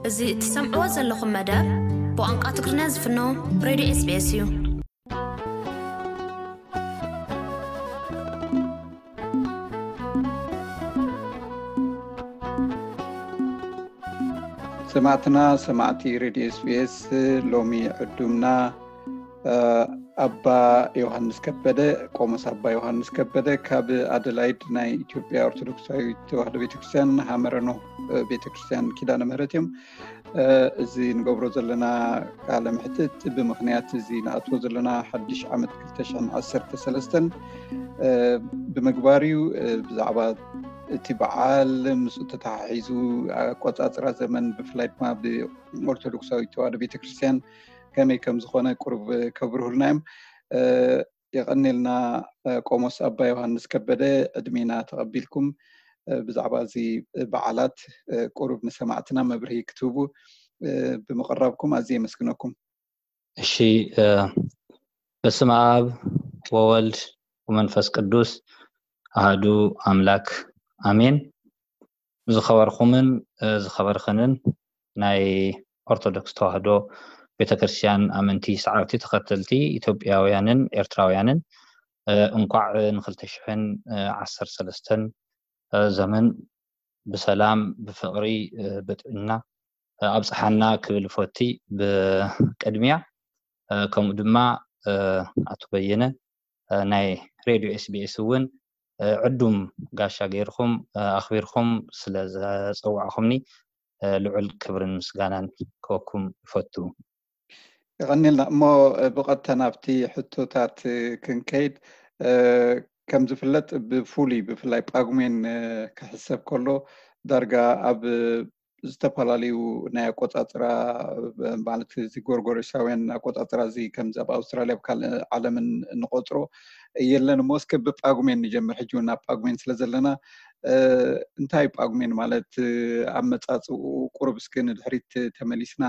እዚ እትሰምዕዎ ዘለኹም መደብ ብቋንቋ ትግርኛ ዝፍኖ ሬድዮ ኤስቢኤስ እዩ። ሰማዕትና፣ ሰማዕቲ ሬድዮ ኤስቢኤስ፣ ሎሚ ዕዱምና ኣባ ዮሃንስ ከበደ፣ ቆሞስ ኣባ ዮሃንስ ከበደ ካብ ኣደላይድ ናይ ኢትዮጵያ ኦርቶዶክሳዊት ተዋህዶ ቤተክርስትያን ሃመረኖ ቤተክርስትያን ኪዳነ ምህረት እዮም። እዚ ንገብሮ ዘለና ቃለ ምሕትት ብምኽንያት እዚ ንኣትዎ ዘለና ሓድሽ ዓመት ክልተ ሽሕን ዓሰርተ ሰለስተን ብምግባር እዩ። ብዛዕባ እቲ በዓል ምስኡ ተተሓሒዙ ኣቆጻጽራ ዘመን ብፍላይ ድማ ብኦርቶዶክሳዊት ተዋህዶ ቤተክርስትያን ከመይ ከም ዝኾነ ቁሩብ ከብርሁልና እዮም። የቐኔልና። ቆሞስ ኣባ ዮሃንስ ከበደ፣ ዕድሜና ተቐቢልኩም ብዛዕባ እዚ በዓላት ቁሩብ ንሰማዕትና መብርሂ ክትህቡ ብምቕራብኩም ኣዝየ የመስግነኩም። እሺ። በስመ ኣብ ወወልድ ወመንፈስ ቅዱስ ኣሃዱ ኣምላክ ኣሜን። ዝኸበርኩምን ዝኸበርክንን ናይ ኦርቶዶክስ ተዋህዶ ቤተክርስትያን ኣመንቲ፣ ሰዓብቲ፣ ተኸተልቲ፣ ኢትዮጵያውያንን ኤርትራውያንን፣ እንኳዕ ንክልተ ሽሕን ዓሰርተ ሰለስተን ዘመን ብሰላም፣ ብፍቕሪ፣ ብጥዕና ኣብፀሓና ክብል ፈቲ። ብቅድሚያ ከምኡ ድማ ኣቶ በየነ ናይ ሬድዮ ኤስቢኤስ እውን ዕዱም ጋሻ ገይርኩም ኣኽቢርኩም ስለ ዘፀዋዕኹምኒ ልዑል ክብርን ምስጋናን ክወኩም ይፈቱ። የቐኒልና። እሞ ብቐጥታ ናብቲ ሕቶታት ክንከይድ። ከም ዝፍለጥ ብፍሉይ ብፍላይ ጳጉሜን ክሕሰብ ከሎ ዳርጋ ኣብ ዝተፈላለዩ ናይ ኣቆጻጽራ ማለት እዚ ጎርጎሮሳውያን ኣቆጻጽራ እዚ ከምዚ ኣብ ኣውስትራልያ ኣብ ካልእ ዓለምን እንቆጽሮ የለን እሞ እስከ ብጳጉሜን ንጀምር። ሕጂ እውን ኣብ ጳጉሜን ስለ ዘለና እንታይ ጳጉሜን ማለት ኣመጻጽኡ ቁሩብ እስኪ ንድሕሪት ተመሊስና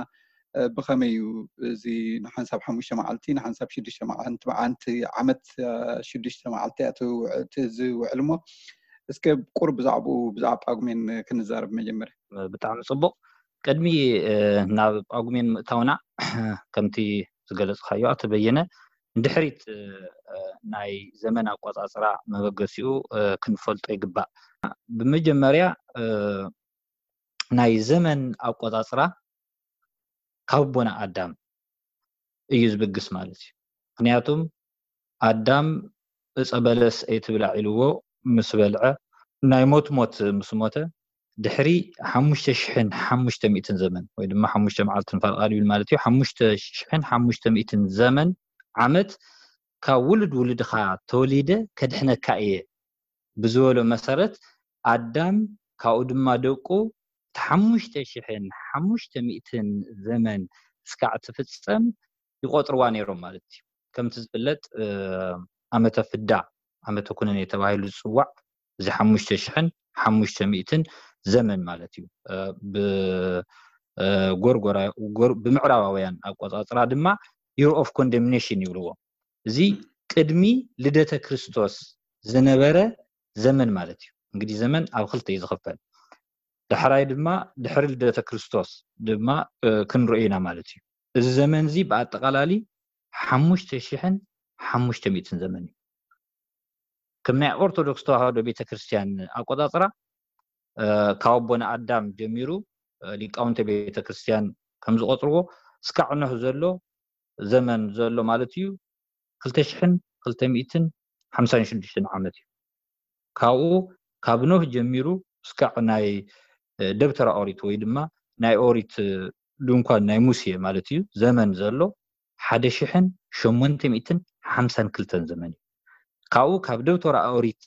ብኸመይ እዩ እዚ ንሓንሳብ ሓሙሽተ መዓልቲ ንሓንሳብ ሽዱሽተ መዓልቲ ዓመት ሽዱሽተ መዓልቲ እያ ዝውዕል እሞ እስከ ቁሩብ ብዛዕባኡ ብዛዕባ ጳጉሜን ክንዛረብ መጀመርያ። ብጣዕሚ ጽቡቕ። ቅድሚ ናብ ጳጉሜን ምእታውና ከምቲ ዝገለጽካዮ ኣቶ በየነ ንድሕሪት ናይ ዘመን ኣቆጻጽራ መበገሲኡ ክንፈልጦ ይግባእ። ብመጀመርያ ናይ ዘመን ኣቆጻጽራ ካብ ኣቦና ኣዳም እዩ ዝብግስ ማለት እዩ። ምክንያቱም ኣዳም እፀ በለስ ኣይትብላዕ ኢልዎ ምስ በልዐ ናይ ሞት ሞት ምስ ሞተ ድሕሪ ሓሙሽተ ሽሕን ሓሙሽተ ሚእትን ዘመን ወይ ድማ ሓሙሽተ መዓልትን ፈርቓ ይብል ማለት እዩ። ሓሙሽተ ሽሕን ሓሙሽተ ሚእትን ዘመን ዓመት ካብ ውሉድ ውሉድኻ ተወሊደ ከድሕነካ እየ ብዝበሎ መሰረት ኣዳም ካብኡ ድማ ደቁ እቲ ሓሙሽተ ሽሕን ሓሙሽተ ሚእትን ዘመን እስካዕ ትፍጸም ይቆጥርዋ ነይሮም ማለት እዩ። ከምቲ ዝፍለጥ ዓመተ ፍዳ ዓመተ ኩነኔ ተባሂሉ ዝፅዋዕ እዚ ሓሙሽተ ሽሕን ሓሙሽተ ሚእትን ዘመን ማለት እዩ። ብጎርጎራ ብምዕራባውያን ኣቆፃፅራ ድማ year of condemnation ይብልዎ። እዚ ቅድሚ ልደተ ክርስቶስ ዝነበረ ዘመን ማለት እዩ። እንግዲህ ዘመን ኣብ ክልተ እዩ ዝኽፈል። ዳሕራይ ድማ ድሕሪ ልደተ ክርስቶስ ድማ ክንርኢ ኢና ማለት እዩ። እዚ ዘመን እዚ ብኣጠቓላሊ ሓሙሽተ ሽሕን ሓሙሽተ ሚእትን ዘመን እዩ። ከም ናይ ኦርቶዶክስ ተዋህዶ ቤተክርስትያን ኣቆፃፅራ ካብ ኣቦና ኣዳም ጀሚሩ ሊቃውንተ ቤተክርስትያን ከም ዝቆፅርዎ እስካዕ ኖህ ዘሎ ዘመን ዘሎ ማለት እዩ ክልተ ሽሕን ክልተ ሚእትን ሓምሳን ሽዱሽተን ዓመት እዩ። ካብኡ ካብ ኖህ ጀሚሩ እስካዕ ናይ ደብተራ ኦሪት ወይ ድማ ናይ ኦሪት ድንኳን ናይ ሙሴ ማለት እዩ ዘመን ዘሎ ሓደ ሽሕን ሸሞንተ ሚእትን ሓምሳን ክልተን ዘመን እዩ። ካብኡ ካብ ደብተራ ኦሪት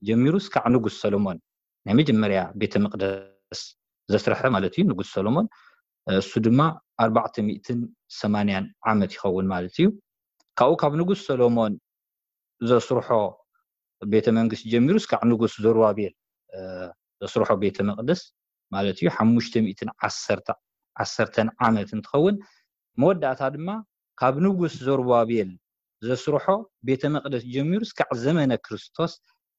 ጀሚሩ እስካዕ ንጉስ ሰሎሞን ናይ መጀመርያ ቤተ መቅደስ ዘስረሐ ማለት እዩ ንጉስ ሰሎሞን እሱ ድማ ኣርባዕተ ሚእትን ሰማንያን ዓመት ይኸውን ማለት እዩ። ካብኡ ካብ ንጉስ ሰሎሞን ዘስርሖ ቤተ መንግስቲ ጀሚሩ እስካዕ ንጉስ ዘሩባቤል ዘስርሖ ቤተ መቅደስ ማለት እዩ ሓሙሽተ ሚእትን ዓሰርተ ዓመት እንትኸውን መወዳእታ ድማ ካብ ንጉስ ዘሩባቤል ዘስርሖ ቤተ መቅደስ ጀሚሩ እስካዕ ዘመነ ክርስቶስ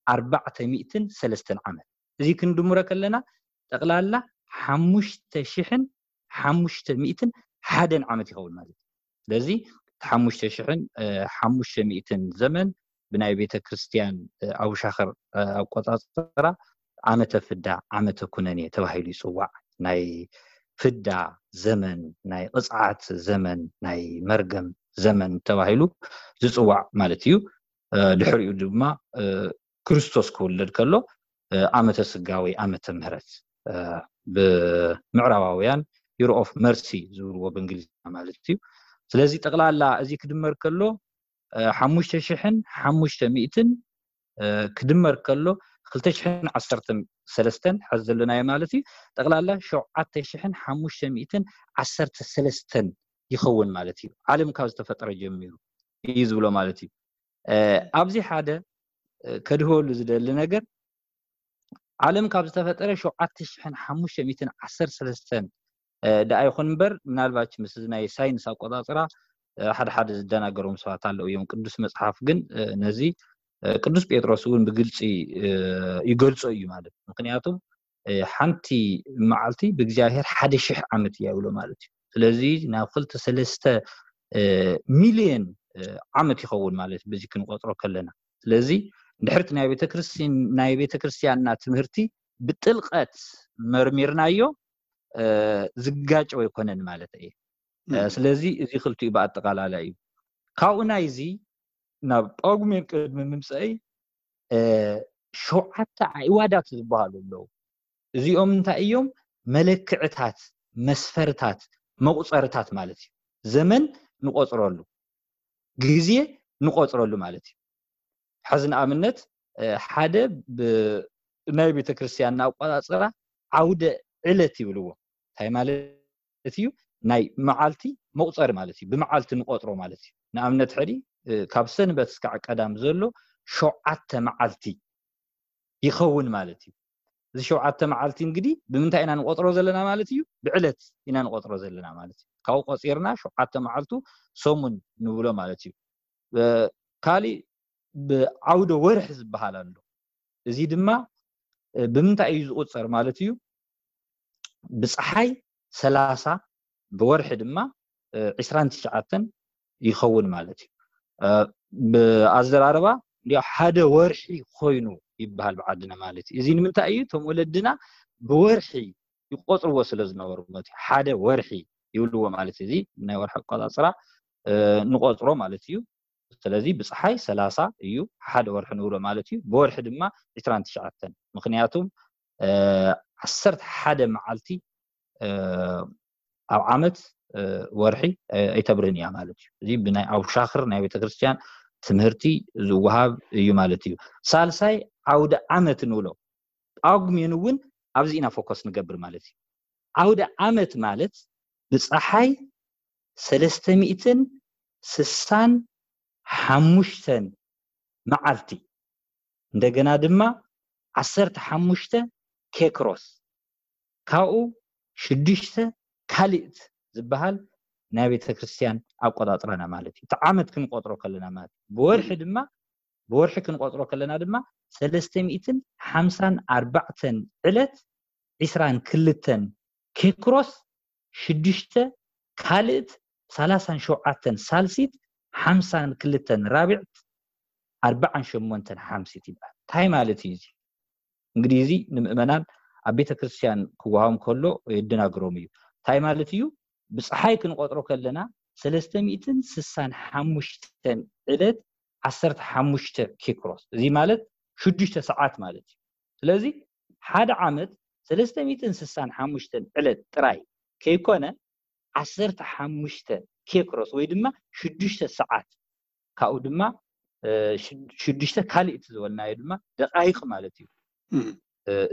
ኣርባዕተ ሚእትን ሰለስተን ዓመት እዚ ክንድምሮ ከለና ጠቕላላ ሓሙሽተ ሽሕን ሓሙሽተ ሚእትን ሓደን ዓመት ይኸውን ማለት እዩ። ስለዚ ሓሙሽተ ሽሕን ሓሙሽተ ሚእትን ዘመን ብናይ ቤተ ክርስቲያን ኣውሻኸር ኣቆጻጽራ ዓመተ ፍዳ ዓመተ ኩነኔ ተባሂሉ ይጽዋዕ። ናይ ፍዳ ዘመን፣ ናይ ቅጽዓት ዘመን፣ ናይ መርገም ዘመን ተባሂሉ ዝጽዋዕ ማለት እዩ። ድሕሪኡ ድማ ክርስቶስ ክውለድ ከሎ ዓመተ ስጋ ወይ ዓመተ ምህረት ብምዕራባውያን ዩሮ ኦፍ መርሲ ዝብልዎ ብእንግሊዝኛ ማለት እዩ። ስለዚ ጠቕላላ እዚ ክድመር ከሎ ሓሙሽተ ሽሕን ሓሙሽተ ሚእትን ክድመር ከሎ ክልተ ሽሕን ዓሰርተ ሰለስተን ሕዚ ዘለናዮ ማለት እዩ። ጠቕላላ ሸውዓተ ሽሕን ሓሙሽተ ሚእትን ዓሰርተ ሰለስተን ይኸውን ማለት እዩ። ዓለም ካብ ዝተፈጠረ ጀሚሩ እዩ ዝብሎ ማለት እዩ። ኣብዚ ሓደ ከድህበሉ ዝደሊ ነገር ዓለም ካብ ዝተፈጠረ ሸውዓተ ሽሕን ሓሙሽተ ሚእትን ዓሰርተ ሰለስተን ደኣ ይኹን እምበር ምናልባት ምስ ናይ ሳይንስ ኣቆጻጽራ ሓደ ሓደ ዝደናገሮም ሰባት ኣለዉ እዮም። ቅዱስ መጽሓፍ ግን ነዚ ቅዱስ ጴጥሮስ እውን ብግልፂ ይገልጾ እዩ ማለት ምክንያቱም ሓንቲ መዓልቲ ብእግዚኣብሔር ሓደ ሽሕ ዓመት እያ ይብሎ ማለት እዩ። ስለዚ ናብ ክልተ ሰለስተ ሚልዮን ዓመት ይኸውን ማለት በዚ ክንቆጥሮ ከለና። ስለዚ ድሕርቲ ናይ ቤተክርስትያን ናይ ቤተክርስትያንና ትምህርቲ ብጥልቀት መርሚርናዮ ዝጋጨው ኣይኮነን ማለት እየ። ስለዚ እዚ ክልቲኡ ብኣጠቃላላ እዩ። ካብኡ ናይዚ ናብ ጳጉሜን ቅድሚ ምምፀአይ ሸውዓተ ኣዕዋዳት ዝበሃሉ ኣለዉ። እዚኦም እንታይ እዮም? መለክዕታት፣ መስፈርታት፣ መቁፀርታት ማለት እዩ። ዘመን ንቆፅረሉ፣ ግዜ ንቆፅረሉ ማለት እዩ። ሕዚ ንኣብነት ሓደ ናይ ቤተክርስትያንና ኣቆፃፅራ ዓውደ ዕለት ይብልዎ። እንታይ ማለት እዩ? ናይ መዓልቲ መቁፀሪ ማለት እዩ። ብመዓልቲ ንቆፅሮ ማለት እዩ። ንኣብነት ሕዲ ካብ ሰንበት እስካዕ ቀዳም ዘሎ ሸውዓተ መዓልቲ ይኸውን ማለት እዩ። እዚ ሸውዓተ መዓልቲ እንግዲ ብምንታይ ኢና ንቆፅሮ ዘለና ማለት እዩ? ብዕለት ኢና ንቆፅሮ ዘለና ማለት እዩ። ካብኡ ቆፂርና ሸውዓተ መዓልቱ ሰሙን ንብሎ ማለት እዩ። ካሊእ ብዓውደ ወርሒ ዝበሃል ኣሎ። እዚ ድማ ብምንታይ እዩ ዝቁፀር ማለት እዩ? ብፀሓይ ሰላሳ ብወርሒ ድማ ዒስራን ትሽዓተን ይኸውን ማለት እዩ። ብኣዘራርባ እንዲያው ሓደ ወርሒ ኮይኑ ይበሃል ብዓድና ማለት እዩ። እዚ ንምንታይ እዩ? እቶም ወለድና ብወርሒ ይቆፅርዎ ስለ ዝነበሩ ማለት እዩ። ሓደ ወርሒ ይብልዎ ማለት እዩ። እዚ ናይ ወርሒ ኣቆፃፅራ ንቆፅሮ ማለት እዩ። ስለዚ ብፀሓይ ሰላሳ እዩ ሓደ ወርሒ ንብሎ ማለት እዩ። ብወርሒ ድማ ዒስራን ትሽዓተን ምክንያቱም ዓሰርተ ሓደ መዓልቲ ኣብ ዓመት ወርሒ ኣይተብርህን እያ ማለት እዩ። እዚ ብናይ ኣውሻኽር ናይ ቤተክርስትያን ትምህርቲ ዝወሃብ እዩ ማለት እዩ። ሳልሳይ ዓውደ ዓመት ንብሎ ጳጉሜን እውን ኣብዚ ኢና ፎከስ ንገብር ማለት እዩ። ዓውደ ዓመት ማለት ብፀሓይ ሰለስተ ሚእትን ስሳን ሓሙሽተን መዓልቲ እንደገና ድማ ዓሰርተ ሓሙሽተ ኬክሮስ ካብኡ ሽዱሽተ ካልእት ዝበሃል ናይ ቤተ ክርስቲያን ኣቆጻጽራና ማለት እዩ። እቲ ዓመት ክንቆጽሮ ከለና ማለት እዩ። ብወርሒ ድማ ብወርሒ ክንቆጽሮ ከለና ድማ ሰለስተ ሚእትን ሓምሳን ኣርባዕተን ዕለት ዒስራን ክልተን ኬክሮስ ሽዱሽተ ካልእት ሰላሳን ሸውዓተን ሳልሲት ሓምሳን ክልተን ራብዕት ኣርባዓን ሸሞንተን ሓምሲት ይበሃል። እንታይ ማለት እዩ እዚ? እንግዲህ እዚ ንምእመናን ኣብ ቤተ ክርስቲያን ክወሃቦም ከሎ የደናግሮም እዩ። እንታይ ማለት እዩ? ብፀሓይ ክንቆጥሮ ከለና ሰለስተ ሚእትን ስሳን ሓሙሽተን ዕለት ዓሰርተ ሓሙሽተ ኬክሮስ፣ እዚ ማለት ሽዱሽተ ሰዓት ማለት እዩ። ስለዚ ሓደ ዓመት ሰለስተ ሚእትን ስሳን ሓሙሽተን ዕለት ጥራይ ከይኮነ ዓሰርተ ሓሙሽተ ኬክሮስ ወይ ድማ ሽዱሽተ ሰዓት ካብኡ ድማ ሽዱሽተ ካልእቲ ዝበልናዮ ድማ ደቃይቅ ማለት እዩ።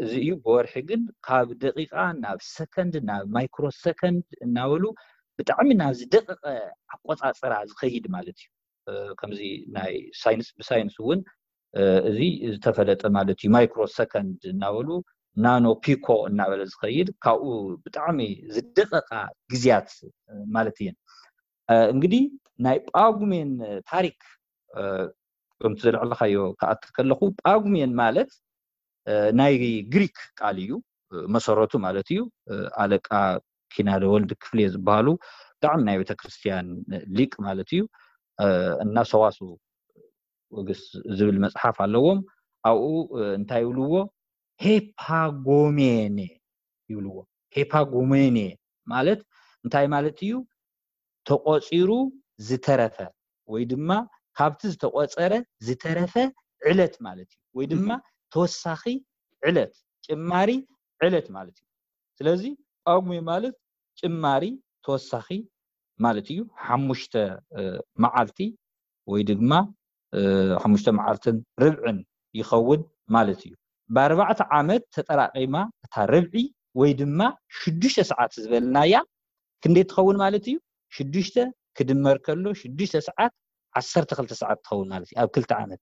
እዚ እዩ። ብወርሒ ግን ካብ ደቂቃ ናብ ሰከንድ ናብ ማይክሮ ሰከንድ እናበሉ ብጣዕሚ ናብ ዝደቀቀ ኣቆፃፅራ ዝኸይድ ማለት እዩ። ከምዚ ናይ ሳይንስ ብሳይንስ እውን እዚ ዝተፈለጠ ማለት እዩ። ማይክሮ ሰከንድ እናበሉ ናኖ ፒኮ እናበለ ዝኸይድ ካብኡ ብጣዕሚ ዝደቀቃ ግዜያት ማለት እየን። እንግዲህ ናይ ጳጉሜን ታሪክ ከምቲ ዘልዕልካዮ ክኣቲ ከለኹ ጳጉሜን ማለት ናይ ግሪክ ቃል እዩ። መሰረቱ ማለት እዩ ኣለቃ ኪናደ ወልድ ክፍሌ ዝበሃሉ ብጣዕሚ ናይ ቤተክርስትያን ሊቅ ማለት እዩ። እና ሰዋስው ወግስ ዝብል መጽሓፍ ኣለዎም። ኣብኡ እንታይ ይብልዎ? ሄፓጎሜኔ ይብልዎ። ሄፓጎሜኔ ማለት እንታይ ማለት እዩ? ተቆጺሩ ዝተረፈ ወይ ድማ ካብቲ ዝተቆጸረ ዝተረፈ ዕለት ማለት እዩ። ወይ ድማ ተወሳኺ ዕለት፣ ጭማሪ ዕለት ማለት እዩ። ስለዚ ጳጉሜ ማለት ጭማሪ፣ ተወሳኺ ማለት እዩ። ሓሙሽተ መዓልቲ ወይ ድማ ሓሙሽተ መዓልትን ርብዕን ይኸውን ማለት እዩ። ብኣርባዕተ ዓመት ተጠራቂማ እታ ርብዒ ወይ ድማ ሽዱሽተ ሰዓት ዝበልናያ ክንደይ ትኸውን ማለት እዩ? ሽዱሽተ ክድመር ከሎ ሽዱሽተ ሰዓት ዓሰርተ ክልተ ሰዓት ትኸውን ማለት እዩ። ኣብ ክልተ ዓመት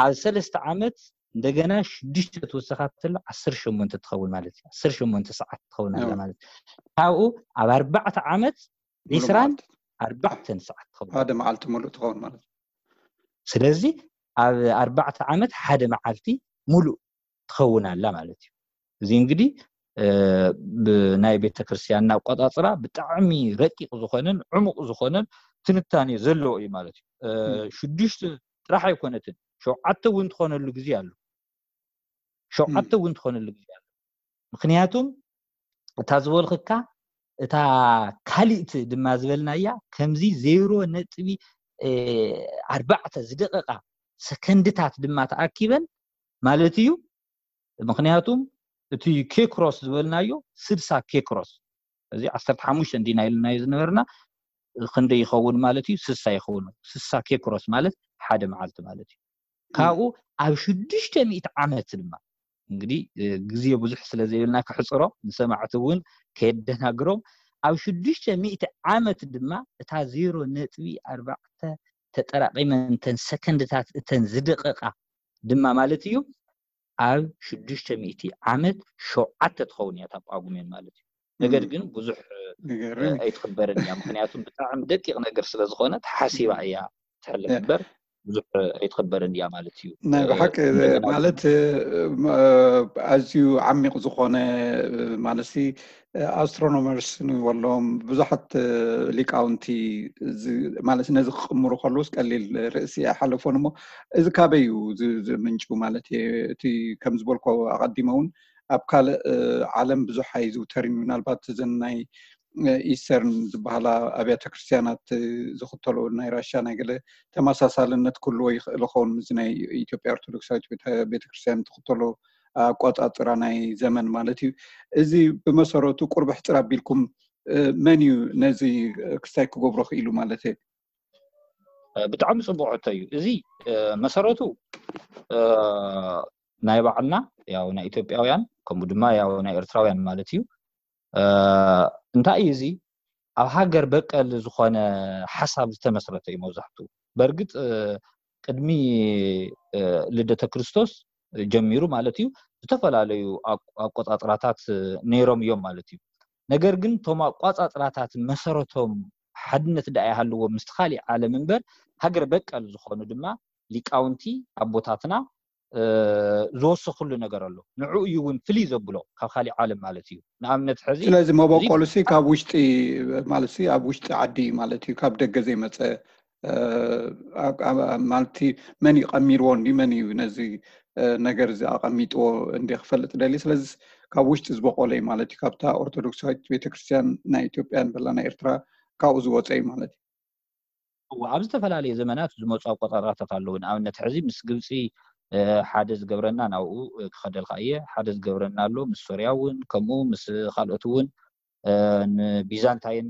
ኣብ ሰለስተ ዓመት እንደገና ሽዱሽተ ትወሰኻትሎ ዓሰርተ ሸሞንተ ትኸውን ማለት እዩ። ዓሰርተ ሸሞንተ ሰዓት ትኸውን ኣላ ማለት እዩ። ካብኡ ኣብ ኣርባዕተ ዓመት ዒስራን ኣርባዕተን ሰዓት ትኸውን። ሓደ መዓልቲ ሙሉእ ትኸውን ማለት እዩ። ስለዚ ኣብ ኣርባዕተ ዓመት ሓደ መዓልቲ ሙሉእ ትኸውን ኣላ ማለት እዩ። እዚ እንግዲህ ብናይ ቤተክርስትያንና ኣቆጻጽራ ብጣዕሚ ረቂቕ ዝኾነን ዕሙቕ ዝኾነን ትንታኔ ዘለዎ እዩ ማለት እዩ። ሽዱሽተ ጥራሕ ኣይኮነትን፣ ሸውዓተ እውን ትኾነሉ ግዜ ኣሎ። ሸውዓተ እውን ትኾነሉ ግዜ ኣሎ። ምክንያቱም እታ ዝበልክካ እታ ካሊእቲ ድማ ዝበልናያ ከምዚ ዜሮ ነጥቢ ኣርባዕተ ዝደቀቃ ሰከንድታት ድማ ተኣኪበን ማለት እዩ። ምክንያቱም እቲ ኬክሮስ ዝበልናዮ ስድሳ ኬክሮስ፣ እዚ ዓሰርተ ሓሙሽተ እንዲና ኢልናዮ ዝነበርና ክንደይ ይኸውን ማለት እዩ? ስሳ ይኸውን። ስሳ ኬክሮስ ማለት ሓደ መዓልቲ ማለት እዩ። ካብኡ ኣብ ሽዱሽተ ሚእቲ ዓመት ድማ እንግዲህ ግዜ ብዙሕ ስለ ዘይብልና ክሕፅሮ ንሰማዕቲ እውን ከየደናግሮም ኣብ ሽዱሽተ ሚእቲ ዓመት ድማ እታ ዜሮ ነጥቢ ኣርባዕተ ተጠራቂመን እተን ሰከንድታት እተን ዝደቀቃ ድማ ማለት እዩ ኣብ ሽዱሽተ ሚእቲ ዓመት ሸውዓተ ትኸውን እያ እታ ጳጉሜን ማለት እዩ። ነገር ግን ብዙሕ ኣይትኽበርን እያ። ምክንያቱም ብጣዕሚ ደቂቕ ነገር ስለ ዝኾነ ተሓሲባ እያ ትሕለፍ እምበር ብዙሕ ኣይትኽበርን እያ ማለት እዩ። ናይ ብሓቂ ማለት ኣዝዩ ዓሚቕ ዝኾነ ማለት ኣስትሮኖመርስ ንበሎም ብዙሓት ሊቃውንቲ ማለት ነዚ ክቕምሩ ከለውስ ቀሊል ርእሲ ኣይሓለፎን እሞ እዚ ካበይ እዩ ዝምንጩ ማለት እቲ ከም ዝበልኮ ኣቐዲመ እውን ኣብ ካልእ ዓለም ብዙሕ ኣይዝውተርን እዩ። ምናልባት እዘን ናይ ኢስተርን ዝበሃላ ኣብያተ ክርስትያናት ዝኽተሎ ናይ ራሻ ናይ ገለ ተመሳሳልነት ክህልዎ ይኽእል ኸውን ምስዚ ናይ ኢትዮጵያ ኦርቶዶክሳዊት ቤተክርስትያን ትኽተሎ ኣቋፃፅራ ናይ ዘመን ማለት እዩ። እዚ ብመሰረቱ ቁርብ ሕፅር ኣቢልኩም መን እዩ ነዚ ክስታይ ክገብሮ ክኢሉ ማለት እዩ? ብጣዕሚ ፅቡቅ ሕቶ እዩ። እዚ መሰረቱ ናይ ባዕልና ያው ናይ ኢትዮጵያውያን ከምኡ ድማ ያው ናይ ኤርትራውያን ማለት እዩ። እንታይ እዩ እዚ ኣብ ሃገር በቀል ዝኾነ ሓሳብ ዝተመስረተ እዩ መብዛሕትኡ። በእርግጥ ቅድሚ ልደተ ክርስቶስ ጀሚሩ ማለት እዩ ዝተፈላለዩ ኣቆፃፅራታት ነይሮም እዮም ማለት እዩ። ነገር ግን እቶም ኣቆፃፅራታት መሰረቶም ሓድነት ደኣ ይሃልዎ ምስቲ ካሊእ ዓለም እምበር ሃገር በቀል ዝኾኑ ድማ ሊቃውንቲ ኣቦታትና ዝወሰኽሉ ነገር ኣሎ። ንዕኡ እዩ እውን ፍልይ ዘብሎ ካብ ካሊእ ዓለም ማለት እዩ። ንኣብነት ሕዚ ስለዚ መበቆሉሲ ካብ ውሽጢ ማለት ኣብ ውሽጢ ዓዲ ማለት እዩ፣ ካብ ደገ ዘይመፀ ማለት መን እዩ ቀሚርዎ እንዲ መን እዩ ነዚ ነገር እዚ ኣቐሚጥዎ እንዲ ክፈልጥ ደሊ። ስለዚ ካብ ውሽጢ ዝበቆለ እዩ ማለት እዩ፣ ካብታ ኦርቶዶክሳዊት ቤተክርስትያን ናይ ኢትዮጵያ ንበላ ናይ ኤርትራ ካብኡ ዝወፀ እዩ ማለት እዩ። ኣብ ዝተፈላለየ ዘመናት ዝመፁ ኣቆፃፅራታት ኣለዉ። ንኣብነት ሕዚ ምስ ግብፂ ሓደ ዝገብረና ናብኡ ክኸደልካ እየ፣ ሓደ ዝገብረና ኣሎ ምስ ሶርያ እውን ከምኡ ምስ ካልኦት እውን ንቢዛንታይን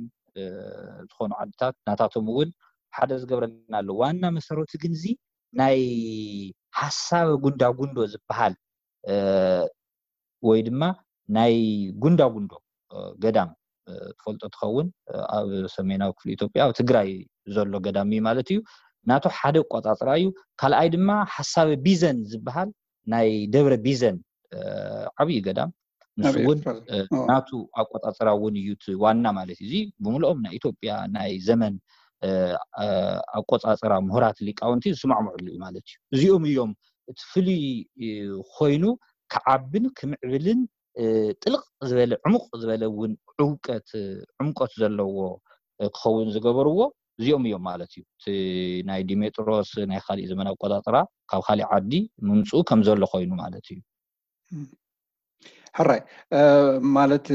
ዝኾኑ ዓድታት ናታቶም እውን ሓደ ዝገብረና ኣሎ። ዋና መሰረቱ ግን እዚ ናይ ሓሳብ ጉንዳጉንዶ ዝበሃል ወይ ድማ ናይ ጉንዳጉንዶ ገዳም ትፈልጦ ትኸውን ኣብ ሰሜናዊ ክፍሊ ኢትዮጵያ ኣብ ትግራይ ዘሎ ገዳም እዩ ማለት እዩ። ናቱ ሓደ ኣቆፃፅራ እዩ። ካልኣይ ድማ ሓሳብ ቢዘን ዝበሃል ናይ ደብረ ቢዘን ዓብዪ ገዳም ንሱ እውን ናቱ ኣቆፃፅራ እውን እዩ ዋና ማለት እዩ። እዚ ብምልኦም ናይ ኢትዮጵያ ናይ ዘመን ኣቆፃፅራ ምሁራት ሊቃውንቲ ዝስማዕምዕሉ እዩ ማለት እዩ። እዚኦም እዮም እቲ ፍሉይ ኮይኑ ክዓብን ክምዕብልን ጥልቕ ዝበለ ዕሙቕ ዝበለ እውን ጥውቀት ዕምቆት ዘለዎ ክኸውን ዝገበርዎ እዚኦም እዮም ማለት እዩ። እቲ ናይ ዲሜጥሮስ ናይ ካሊእ ዘመን ኣቆጣጥራ ካብ ካሊእ ዓዲ ምምፅኡ ከም ዘሎ ኮይኑ ማለት እዩ። ሕራይ ማለት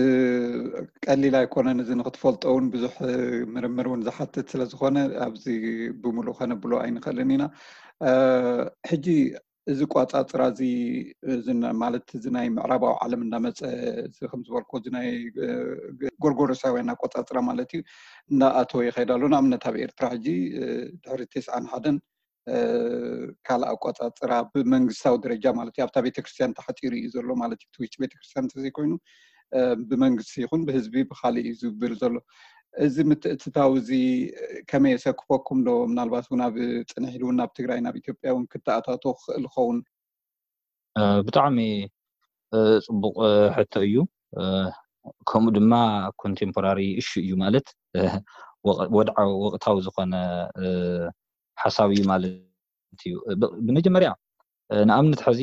ቀሊል ኣይኮነን። እዚ ንክትፈልጦ እውን ብዙሕ ምርምር እውን ዝሓትት ስለዝኮነ ኣብዚ ብምሉእ ከነብሎ ኣይንኽእልን ኢና። ሕጂ እዚ ቋፃፅራ እዚ ማለት እዚ ናይ ምዕራባዊ ዓለም እንዳመፀ እዚ ከም ዝበልኮ እዚ ናይ ጎርጎሮሳውያን ኣቆፃፅራ ማለት እዩ እንዳኣተወ ይኸይድ ኣሎ። ንኣብነት ኣብ ኤርትራ ሕጂ ድሕሪ ተስዓን ሓደን ካልእ ኣቆፃፅራ ብመንግስታዊ ደረጃ ማለት እዩ ኣብታ ቤተክርስትያን ተሓፂሩ እዩ ዘሎ ማለት እዩ። እቲ ውሽጢ ቤተክርስትያን እንተዘይኮይኑ ብመንግስቲ ይኹን ብህዝቢ ብካሊእ እዩ ዝብል ዘሎ። እዚ ምትእትታው እዚ ከመይ የሰክፈኩም ዶ? ምናልባት እውን ኣብ ፅንሕ ኢሉ እውን ናብ ትግራይ ናብ ኢትዮጵያ እውን ክተኣታቶ ክኽእል ኸውን። ብጣዕሚ ፅቡቕ ሕቶ እዩ። ከምኡ ድማ ኮንቴምፖራሪ እሹ እዩ ማለት ወድዓዊ ወቅታዊ ዝኾነ ሓሳብ እዩ ማለት እዩ። ብመጀመርያ ንኣብነት ሕዚ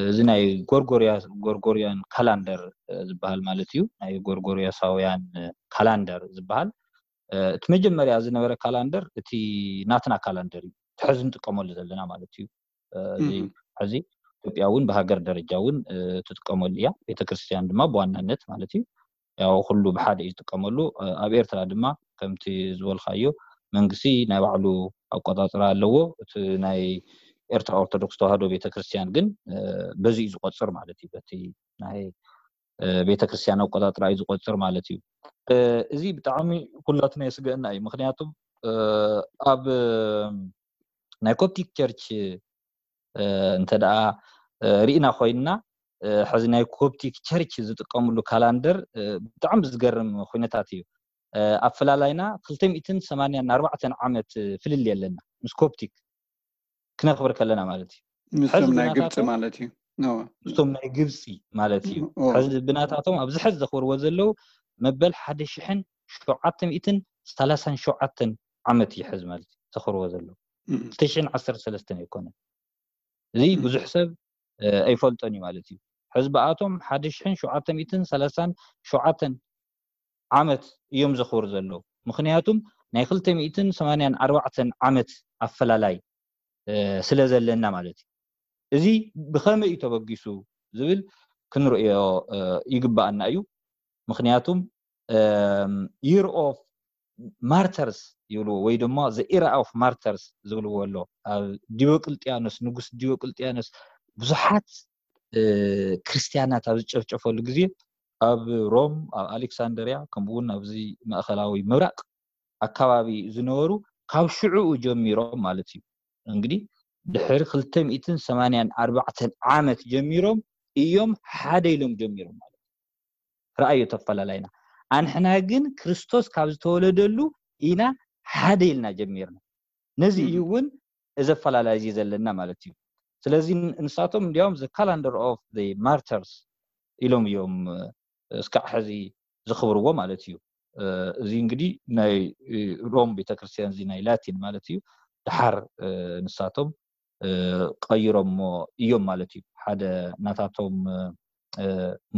እዚ ናይ ጎርጎርያ ጎርጎርያን ካላንደር ዝበሃል ማለት እዩ። ናይ ጎርጎርያሳውያን ካላንደር ዝበሃል እቲ መጀመርያ ዝነበረ ካላንደር እቲ ናትና ካላንደር እዩ። እቲ ሕዚ ንጥቀመሉ ዘለና ማለት እዩ። እዚ ሕዚ ኢትዮጵያ እውን ብሃገር ደረጃ እውን ትጥቀመሉ እያ። ቤተክርስትያን ድማ ብዋናነት ማለት እዩ ያው ኩሉ ብሓደ እዩ ዝጥቀመሉ። ኣብ ኤርትራ ድማ ከምቲ ዝበልካዮ መንግስቲ ናይ ባዕሉ ኣቆፃፅራ ኣለዎ። እቲ ናይ ኤርትራ ኦርቶዶክስ ተዋህዶ ቤተክርስትያን ግን በዚ እዩ ዝቆፅር ማለት እዩ። በቲ ናይ ቤተክርስትያን ኣቆፃፅራ እዩ ዝቆፅር ማለት እዩ። እዚ ብጣዕሚ ኩላትና የስገእና እዩ። ምክንያቱም ኣብ ናይ ኮፕቲክ ቸርች እንተ ደኣ ርኢና ኮይንና ሕዚ ናይ ኮፕቲክ ቸርች ዝጥቀምሉ ካላንደር ብጣዕሚ ዝገርም ኩነታት እዩ። ኣፈላላይና ክልተ ሚእትን ሰማንያን ኣርባዕተን ዓመት ፍልል የለና ምስ ኮፕቲክ ክነኽብር ከለና ማለት እዩ። ምስቶም ናይ ግብፂ ማለት እዩ። ምስቶም ናይ ግብፂ ማለት እዩ። ሕዚ ብናታቶም ኣብዚ ሕዚ ዘኽብርዎ ዘለዉ መበል ሓደ ሽሕን ሸውዓተ ሚእትን ሰላሳን ሸውዓተን ዓመት እዩ ሕዚ ማለት እዩ ዘኽብርዎ ዘለዉ። ክልተ ሽሕን ዓሰርተ ሰለስተን ኣይኮነን። እዚ ብዙሕ ሰብ ኣይፈልጦን እዩ ማለት እዩ። ሕዚ ብኣቶም ሓደ ሽሕን ሸውዓተ ሚእትን ሰላሳን ሸውዓተን ዓመት እዮም ዘኽብሩ ዘለዉ። ምክንያቱም ናይ ክልተ ሚእትን ሰማንያን ኣርባዕተን ዓመት ኣፈላላይ ስለ ዘለና ማለት እዩ። እዚ ብኸመይ እዩ ተበጊሱ ዝብል ክንርእዮ ይግባኣና እዩ። ምክንያቱም year of martyrs ይብልዎ ወይ ድማ the era of martyrs ዝብልዎ ኣሎ። ኣብ ዲዮቅልጥያኖስ ንጉስ ዲዮቅልጥያኖስ ብዙሓት ክርስትያናት ኣብ ዝጨፍጨፈሉ ግዜ ኣብ ሮም ኣብ ኣሌክሳንደርያ ከምኡ እውን ኣብዚ ማእኸላዊ ምብራቅ ኣካባቢ ዝነበሩ ካብ ሽዑኡ ጀሚሮም ማለት እዩ። እንግዲህ ድሕሪ ክልተ ሚእትን ሰማንያን ኣርባዕተን ዓመት ጀሚሮም እዮም ሓደ ኢሎም ጀሚሮም ማለት እዩ። ረኣዮ ተፈላላይና ኣንሕና ግን ክርስቶስ ካብ ዝተወለደሉ ኢና ሓደ ኢልና ጀሚርና። ነዚ እዩ እውን እዚ ኣፈላላይ እዚ ዘለና ማለት እዩ። ስለዚ ንሳቶም እንዲያውም the calendar of the martyrs ኢሎም እዮም እስካዕ ሕዚ ዝኽብርዎ ማለት እዩ። እዚ እንግዲህ ናይ ሮም ቤተክርስትያን እዚ ናይ ላቲን ማለት እዩ። ድሓር ንሳቶም ቀይሮሞ እዮም ማለት እዩ። ሓደ ናታቶም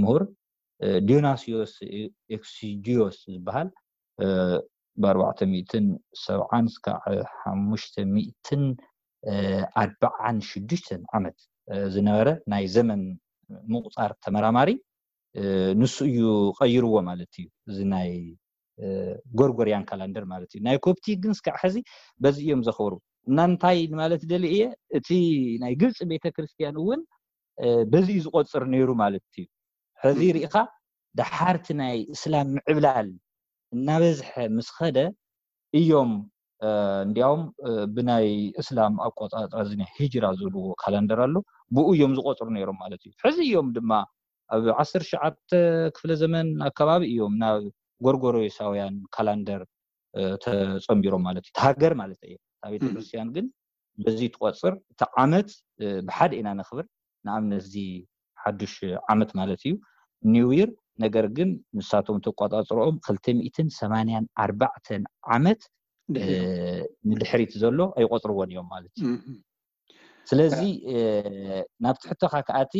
ምሁር ዲዮናስዮስ ኤክሲጂዮስ ዝበሃል ብኣርባዕተ ሚእትን ሰብዓን እስካዕ ሓሙሽተ ሚእትን ኣርባዓን ሽዱሽተን ዓመት ዝነበረ ናይ ዘመን ምቁፃር ተመራማሪ ንሱ እዩ ቀይርዎ ማለት እዩ። እዚ ናይ ጎርጎርያን ካላንደር ማለት እዩ። ናይ ኮፕቲክ ግን እስካዕ ሕዚ በዚ እዮም ዘኽብሩ። እና እንታይ ማለት ደሊ እየ እቲ ናይ ግብፂ ቤተክርስትያን እውን በዚ እዩ ዝቆፅር ነይሩ ማለት እዩ። ሕዚ ርኢኻ ደሓርቲ ናይ እስላም ምዕብላል እናበዝሐ ምስ ኸደ እዮም እንዲያውም ብናይ እስላም ኣቆፃፅራ እዚ ናይ ሂጅራ ዝብልዎ ካላንደር ኣሎ ብኡ እዮም ዝቆፅሩ ነይሮም ማለት እዩ። ሕዚ እዮም ድማ ኣብ ዓሰርተ ትሽዓተ ክፍለ ዘመን ኣካባቢ እዮም ናብ ጎርጎሮሳውያን ካላንደር ተፀንቢሮም ማለት እዩ። ሃገር ማለት እየ። ኣብ ቤተክርስትያን ግን በዚ ትቆፅር እቲ ዓመት ብሓደ ኢና ነኽብር። ንኣብነት እዚ ሓዱሽ ዓመት ማለት እዩ new year። ነገር ግን ንሳቶም ተቆፃፅሮኦም ክልተ ሚእትን ሰማንያን ኣርባዕተን ዓመት ንድሕሪት ዘሎ ኣይቆፅርዎን እዮም ማለት እዩ። ስለዚ ናብ ትሕቶኻ ከኣቲ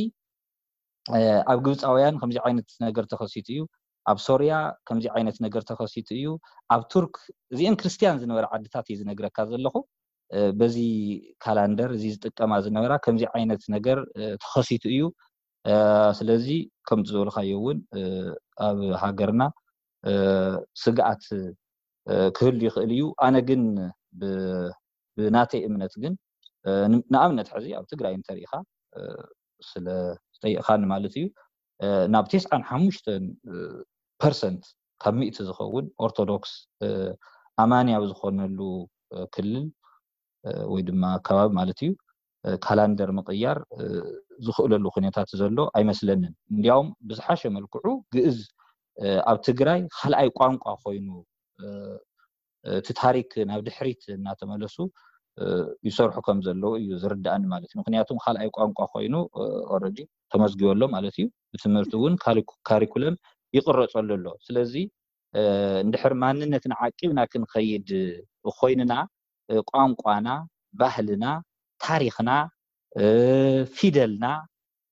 ኣብ ግብፃውያን ከምዚ ዓይነት ነገር ተኸሲቱ እዩ። ኣብ ሶርያ ከምዚ ዓይነት ነገር ተኸሲቱ እዩ። ኣብ ቱርክ፣ እዚአን ክርስትያን ዝነበረ ዓድታት እዩ ዝነግረካ ዘለኹ። በዚ ካላንደር እዚ ዝጥቀማ ዝነበራ ከምዚ ዓይነት ነገር ተኸሲቱ እዩ። ስለዚ ከምቲ ዝበልካዮ እውን ኣብ ሃገርና ስግኣት ክህሉ ይኽእል እዩ። ኣነ ግን ብናተይ እምነት ግን፣ ንኣብነት ሕዚ ኣብ ትግራይ እንተሪኢኻ፣ ስለ ዝጠይቕኻኒ ማለት እዩ፣ ናብ ተስዓን ሓሙሽተን ፐርሰንት ካብ ሚእቲ ዝኸውን ኦርቶዶክስ ኣማኒ ኣብ ዝኾነሉ ክልል ወይ ድማ ኣከባቢ ማለት እዩ፣ ካላንደር ምቕያር ዝኽእለሉ ኩነታት ዘሎ ኣይመስለንን። እንዲያውም ብዝሓሸ መልክዑ ግእዝ ኣብ ትግራይ ካልኣይ ቋንቋ ኮይኑ፣ እቲ ታሪክ ናብ ድሕሪት እናተመለሱ ይሰርሑ ከም ዘለዉ እዩ ዝርዳእኒ ማለት እዩ። ምክንያቱም ካልኣይ ቋንቋ ኮይኑ ኦረዲ ተመዝጊቡ ኣሎ ማለት እዩ። ብትምህርቲ እውን ካሪኩለም ይቕረፀሉ ኣሎ። ስለዚ እንድሕር ማንነትና ዓቂብና ክንኸይድ ኮይንና፣ ቋንቋና፣ ባህልና፣ ታሪኽና፣ ፊደልና፣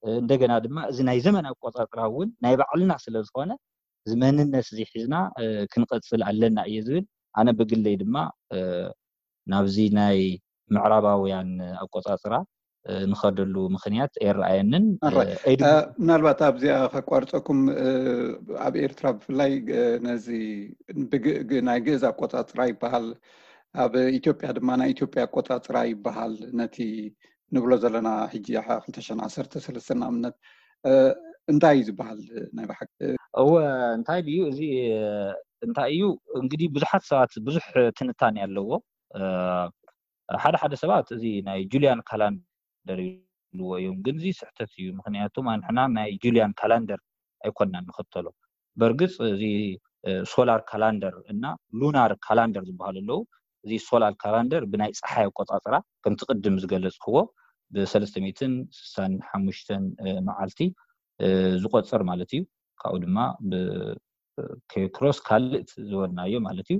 እንደገና ድማ እዚ ናይ ዘመን ኣቆፃፅራ እውን ናይ ባዕልና ስለ ዝኾነ፣ እዚ መንነት እዚ ሒዝና ክንቐፅል ኣለና እየ ዝብል። ኣነ ብግለይ ድማ ናብዚ ናይ ምዕራባውያን ኣቆፃፅራ ንኸደሉ ምክንያት ኣይረኣየንን። ምናልባት ኣብዚኣ ከቋርፀኩም፣ ኣብ ኤርትራ ብፍላይ ነዚ ናይ ግእዝ ኣቆፃፅራ ይበሃል፣ ኣብ ኢትዮጵያ ድማ ናይ ኢትዮጵያ ኣቆፃፅራ ይበሃል። ነቲ ንብሎ ዘለና ሕጂ ክልተ ሽሕን ዓሰርተ ሰለስተን ንኣብነት እንታይ እዩ ዝበሃል ናይ ብሓቂ? እወ፣ እንታይ ድዩ እዚ? እንታይ እዩ እንግዲህ፣ ብዙሓት ሰባት ብዙሕ ትንታኔ ኣለዎ። ሓደ ሓደ ሰባት እዚ ናይ ጁልያን ካላንደር ይብልዎ እዮም፣ ግን እዚ ስሕተት እዩ። ምክንያቱም ኣንሕና ናይ ጁልያን ካላንደር ኣይኮንና ንኽተሎ። በርግፅ እዚ ሶላር ካላንደር እና ሉናር ካላንደር ዝበሃሉ ኣለዉ። እዚ ሶላር ካላንደር ብናይ ፀሓይ ኣቆፃፅራ፣ ከምቲ ቅድም ዝገለፅክዎ፣ ብሰለስተ ሚእትን ስሳን ሓሙሽተን መዓልቲ ዝቆፅር ማለት እዩ። ካብኡ ድማ ብኬክሮስ ካልእ ዝበልናዮ ማለት እዩ።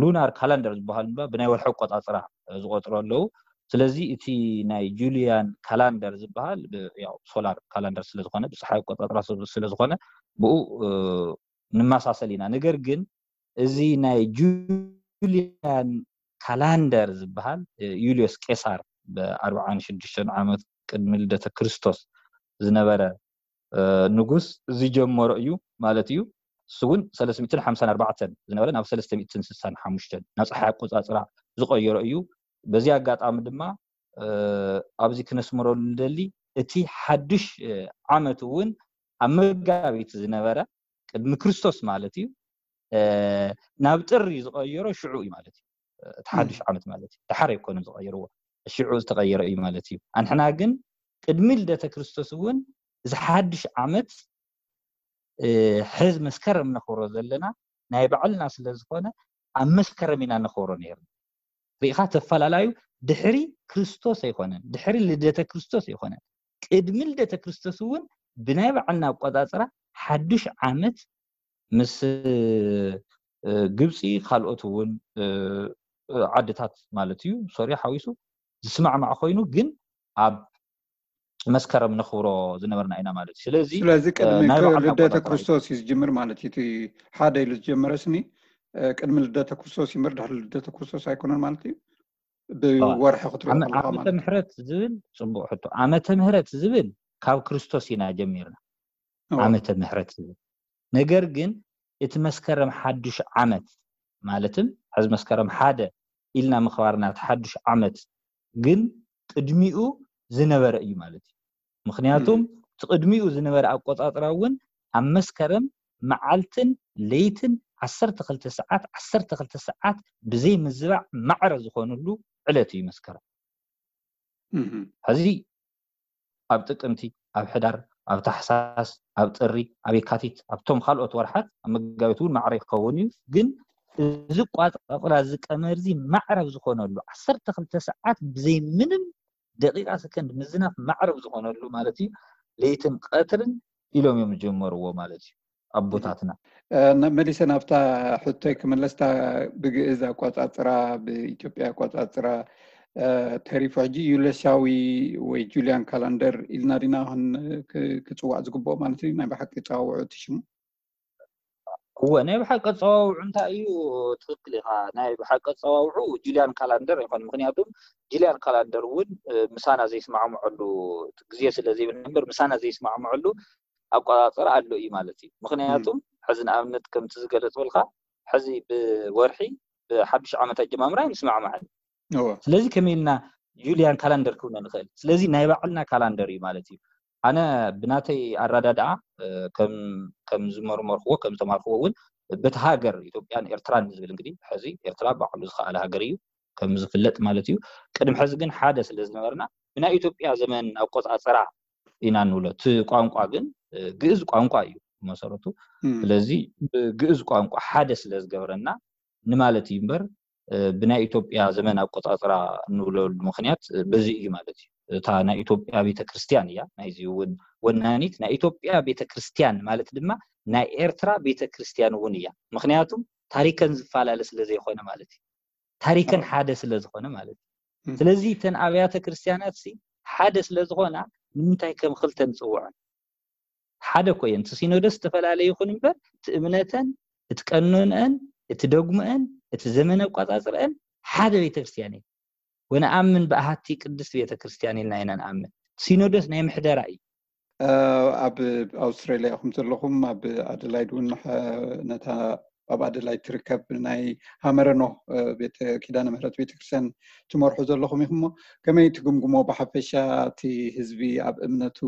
ሉናር ካላንደር ዝበሃል ድማ ብናይ ወርሒ ኣቆፃፅራ ዝቆፅሩ ኣለዉ። ስለዚ እቲ ናይ ጁልያን ካላንደር ዝበሃል ሶላር ካላንደር ስለዝኾነ፣ ብፀሓይ ኣቆፃፅራ ስለዝኾነ፣ ብኡ ንመሳሰል ኢና። ነገር ግን እዚ ናይ ጁልያን ካላንደር ዝበሃል፣ ዩልዮስ ቄሳር ብኣርብዓን ሽዱሽተን ዓመት ቅድሚ ልደተ ክርስቶስ ዝነበረ ንጉስ ዝጀመሮ እዩ ማለት እዩ። እሱ እውን ሰለስተ ሚእትን ሓምሳን ኣርባዕተን ዝነበረ ናብ ሰለስተ ሚእትን ስሳን ሓሙሽተን ናብ ፀሓይ ኣቆፃፅራ ዝቐየሮ እዩ። በዚ ኣጋጣሚ ድማ ኣብዚ ክነስምረሉ ንደሊ፣ እቲ ሓዱሽ ዓመት እውን ኣብ መጋቢት ዝነበረ፣ ቅድሚ ክርስቶስ ማለት እዩ፣ ናብ ጥሪ ዝቐየሮ ሽዑ እዩ ማለት እዩ። እቲ ሓዱሽ ዓመት ማለት እዩ። ደሓር ኣይኮነን ዝቐየርዎ፣ ሽዑ ዝተቐየረ እዩ ማለት እዩ። ኣንሕና ግን ቅድሚ ልደተ ክርስቶስ እውን እዚ ሓዱሽ ዓመት ሕዚ መስከረም ነኽብሮ ዘለና ናይ ባዕልና ስለ ዝኾነ፣ ኣብ መስከረም ኢና ነኽብሮ ነይርና። ርኢኻ፣ ተፈላላዩ ድሕሪ ክርስቶስ ኣይኮነን፣ ድሕሪ ልደተ ክርስቶስ ኣይኮነን። ቅድሚ ልደተ ክርስቶስ እውን ብናይ ባዕልና ኣቆፃፅራ ሓዱሽ ዓመት ምስ ግብፂ፣ ካልኦት እውን ዓድታት ማለት እዩ፣ ሶርያ ሓዊሱ፣ ዝስማዕማዕ ኮይኑ፣ ግን ኣብ መስከረም ነኽብሮ ዝነበርና ኢና ማለት እዩ። ስለዚ ስለዚ ቅድሚ ናይ ባዕልና ልደተ ኣቆፃፅራ እዩ። ክርስቶስ እዩ ዝጅምር ማለት እዩ። እቲ ሓደ ኢሉ ዝጀመረ ስኒ ቅድሚ ልደተ ክርስቶስ ይምበር፣ ድሕሪ ልደተ ክርስቶስ ኣይኮነን ማለት እዩ። ብወርሒ ክትሪኦ ዓመ- ከለኻ ዓመተ ማለት እዩ። ምሕረት ዝብል ፅቡቅ ሕቶ። ዓመተ ምሕረት ዝብል ካብ ክርስቶስ ኢና ጀሚርና። እዎ። ዓመተ ምሕረት ዝብል፣ ነገር ግን እቲ መስከረም ሓዱሽ ዓመት ማለትም ሕዚ መስከረም ሓደ ኢልና ምኽባርና፣ እቲ ሓዱሽ ዓመት ግን ቅድሚኡ ዝነበረ እዩ ማለት እዩ። ምክንያቱም እቲ ቅድሚኡ ዝነበረ ኣቆፃፅራ እውን ኣብ መስከረም መዓልትን ለይትን ዓሰርተ ክልተ ሰዓት፣ ዓሰርተ ክልተ ሰዓት ብዘይ ምዝባዕ ማዕረ ዝኾኑሉ ዕለት እዩ መስከረም። ሕዚ ኣብ ጥቅምቲ፣ ኣብ ሕዳር፣ ኣብ ታሕሳስ፣ ኣብ ጥሪ፣ ኣብ የካቲት፣ ኣብቶም ካልኦት ወርሓት፣ ኣብ መጋቢት እውን ማዕረ ይኸውን እዩ። ግን እዚ ቋፅራ፣ እዚ ቀመር እዚ ማዕረ ኣብ ዝኾነሉ ዓሰርተ ክልተ ሰዓት ብዘይ ምንም ደቂቃ ሰከንድ ምዝናፍ ማዕረ ኣብ ዝኾነሉ ማለት እዩ፣ ለይትን ቀትርን ኢሎም እዮም ዝጀመርዎ ማለት እዩ ኣቦታትና። መሊሰ ናብታ ሕቶይ ክምለስታ፣ ብግእዝ ኣቋፃፅራ፣ ብኢትዮጵያ ኣቋፃፅራ ተሪፉ ሕጂ ዩልዮሳዊ ወይ ጁልያን ካላንደር ኢልና ዲና ክን- ክ- ክፅዋዕ ዝግብኦ ማለት እዩ? ናይ ብሓቂ ፀዋውዑ እቲ ሽሙ? እወ፣ ናይ ብሓቂ ኣጸዋውዑ እንታይ እዩ? ትኽክል ኢኻ። ናይ ብሓቂ ኣጸዋውዑ ጁልያን ካላንደር ይኾን። ምኽንያቱም ጁልያን ካላንደር እውን ምሳና ዘይስማዕምዐሉ ግዜ ስለ ዘይብልና እምበር፣ ምሳና ዘይስማዕምዐሉ ኣቆጻጽራ ኣሎ እዩ ማለት እዩ። ምኽንያቱም ሕዚ ንኣብነት ከምቲ ዝገለጽ በልካ፣ ሕዚ ብወርሒ ብሓዱሽ ዓመት ኣጀማምራ ኣይንስማዕምዐን። ስለዚ ከመይ ኢልና ጁልያን ካላንደር ክብሎ ንኽእል? ስለዚ ናይ ባዕልና ካላንደር እዩ ማለት እዩ። ኣነ ብናተይ ኣረዳድኣ ከም ዝመርመርክዎ ከም ዝተማርክዎ እውን በቲ ሃገር ኢትዮጵያን ኤርትራን ዝብል እንግዲህ ሕዚ ኤርትራ ባዕሉ ዝኸኣለ ሃገር እዩ ከም ዝፍለጥ ማለት እዩ። ቅድሚ ሕዚ ግን ሓደ ስለ ዝነበርና ብናይ ኢትዮጵያ ዘመን ኣቆጻጽራ ኢና ንብሎ። እቲ ቋንቋ ግን ግእዝ ቋንቋ እዩ መሰረቱ። ስለዚ ብግእዝ ቋንቋ ሓደ ስለ ዝገብረና ንማለት እዩ እምበር ብናይ ኢትዮጵያ ዘመን ኣቆጻጽራ እንብለሉ ምኽንያት በዚ እዩ ማለት እዩ። እታ ናይ ኢትዮጵያ ቤተክርስትያን እያ ናይዚ እውን ወናኒት። ናይ ኢትዮጵያ ቤተክርስትያን ማለት ድማ ናይ ኤርትራ ቤተክርስትያን እውን እያ። ምኽንያቱም ታሪከን ዝፈላለ ስለ ዘይኮነ ማለት እዩ። ታሪከን ሓደ ስለ ዝኾነ ማለት እዩ። ስለዚ እተን ኣብያተ ክርስትያናት ሲ ሓደ ስለ ዝኾና ንምንታይ ከም ክልተ ንጽውዐን? ሓደ እኮ እየን። እቲ ሲኖዶስ ዝተፈላለየ ይኹን እምበር እቲ እምነተን፣ እቲ ቀኖንአን፣ እቲ ዶግምአን፣ እቲ ዘመን ኣቋጻጽርአን ሓደ ቤተክርስትያን እዩ። ወነኣምን ብኣሃቲ ቅድስት ቤተክርስትያን ኢልና ኢና ንኣምን። ሲኖዶስ ናይ ምሕደራ እዩ። ኣብ ኣውስትራሊያ ኢኹም ዘለኹም፣ ኣብ ኣደላይድ እውን ነታ ኣብ ኣደላይድ ትርከብ ናይ ሃመረኖ ቤተ ኪዳነ ምህረት ቤተክርስትያን ትመርሑ ዘለኹም ኢኹም። ከመይ ትግምግሞ ብሓፈሻ እቲ ህዝቢ ኣብ እምነቱ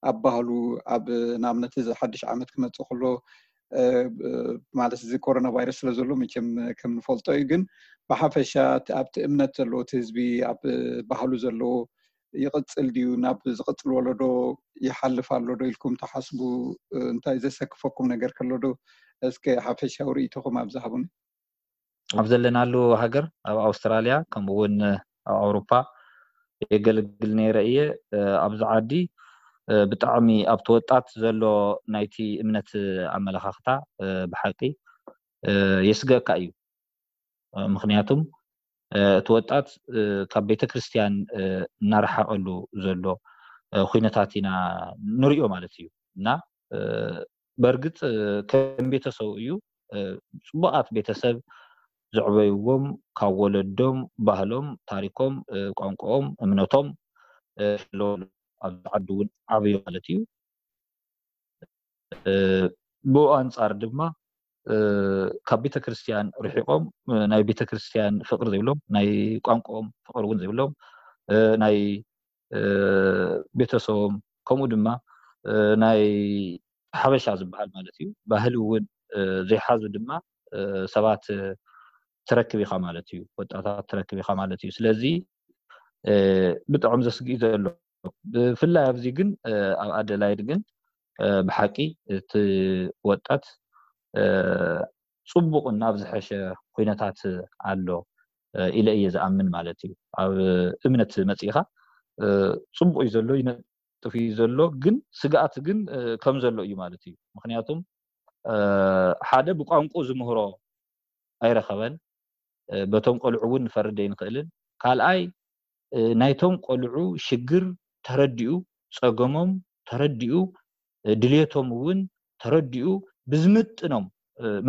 ኣብ ባህሉ ኣብ ንኣብነት እዚ ሓድሽ ዓመት ክመፅእ ከሎ ማለት እዚ ኮሮና ቫይረስ ስለ ዘሎ መቸም ከም ንፈልጦ እዩ። ግን ብሓፈሻ ኣብቲ እምነት ዘለዎ እቲ ህዝቢ ኣብ ባህሉ ዘለዎ ይቕፅል ድዩ? ናብ ዝቕፅል ወለዶ ይሓልፍ ኣሎ ዶ ኢልኩም ትሓስቡ? እንታይ ዘሰክፈኩም ነገር ከሎ ዶ እስከ ሓፈሻዊ ርእይቶኹም ኣብዚ ሃቡኒ። ኣብ ዘለናሉ ሃገር ኣብ ኣውስትራልያ ከምኡ እውን ኣብ ኣውሮፓ የገልግል ነይረ እየ። ኣብዚ ዓዲ ብጣዕሚ ኣብቲ ወጣት ዘሎ ናይቲ እምነት ኣመለኻኽታ ብሓቂ የስገእካ እዩ። ምኽንያቱም እቲ ወጣት ካብ ቤተ ክርስትያን እናረሓቐሉ ዘሎ ኩነታት ኢና ንሪኦ ማለት እዩ። እና በእርግጥ ከም ቤተሰቡ እዩ። ፅቡቓት ቤተሰብ ዘዕበይዎም ካብ ወለዶም ባህሎም፣ ታሪኮም፣ ቋንቋኦም፣ እምነቶም ኣለዎ። ኣብዚ ዓዲ እውን ዓብዩ ማለት እዩ። ብኡ ኣንጻር ድማ ካብ ቤተ ክርስትያን ርሒቆም ናይ ቤተ ክርስትያን ፍቅሪ ዘይብሎም፣ ናይ ቋንቋኦም ፍቅሪ እውን ዘይብሎም፣ ናይ ቤተሰቦም ከምኡ ድማ ናይ ሓበሻ ዝበሃል ማለት እዩ ባህሊ እውን ዘይሓዙ ድማ ሰባት ትረክብ ኢኻ ማለት እዩ። ወጣታት ትረክብ ኢኻ ማለት እዩ። ስለዚ ብጣዕሚ ዘስግእ ዘሎ ብፍላይ ኣብዚ ግን ኣብ ኣደላይድ ግን ብሓቂ እቲ ወጣት ፅቡቕ ናብ ዝሐሸ ኩነታት ኣሎ ኢለ እየ ዝኣምን ማለት እዩ። ኣብ እምነት መፂእኻ ፅቡቕ እዩ ዘሎ፣ ይነጥፍ እዩ ዘሎ፣ ግን ስግኣት ግን ከም ዘሎ እዩ ማለት እዩ። ምክንያቱም ሓደ ብቋንቁ ዝምህሮ ኣይረኸበን። በቶም ቆልዑ እውን ንፈርድ ኣይንኽእልን። ካልኣይ ናይቶም ቆልዑ ሽግር ተረዲኡ፣ ፀገሞም ተረዲኡ፣ ድልየቶም እውን ተረዲኡ ብዝምጥኖም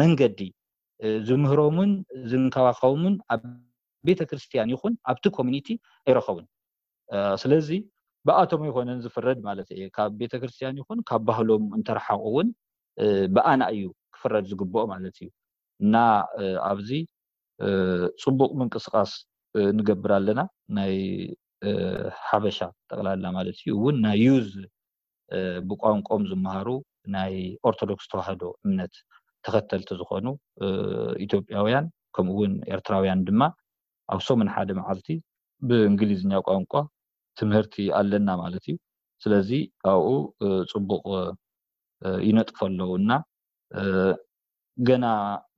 መንገዲ ዝምህሮምን ዝንከባኸቦምን ኣብ ቤተ ክርስትያን ይኹን ኣብቲ ኮሚኒቲ ኣይረኸቡን። ስለዚ ብኣቶም ኣይኮነን ዝፍረድ ማለት እየ። ካብ ቤተ ክርስትያን ይኹን ካብ ባህሎም እንተረሓቑ እውን ብኣና እዩ ክፍረድ ዝግብኦ ማለት እዩ። እና ኣብዚ ፅቡቕ ምንቅስቃስ ንገብር ኣለና። ናይ ሓበሻ ጠቕላላ ማለት እዩ እውን ናይ ዩዝ ብቋንቋኦም ዝመሃሩ ናይ ኦርቶዶክስ ተዋህዶ እምነት ተኸተልቲ ዝኾኑ ኢትዮጵያውያን ከምኡ እውን ኤርትራውያን ድማ ኣብ ሰሙን ሓደ መዓልቲ ብእንግሊዝኛ ቋንቋ ትምህርቲ ኣለና ማለት እዩ። ስለዚ ኣብኡ ፅቡቕ ይነጥፉ ኣለዉ እና ገና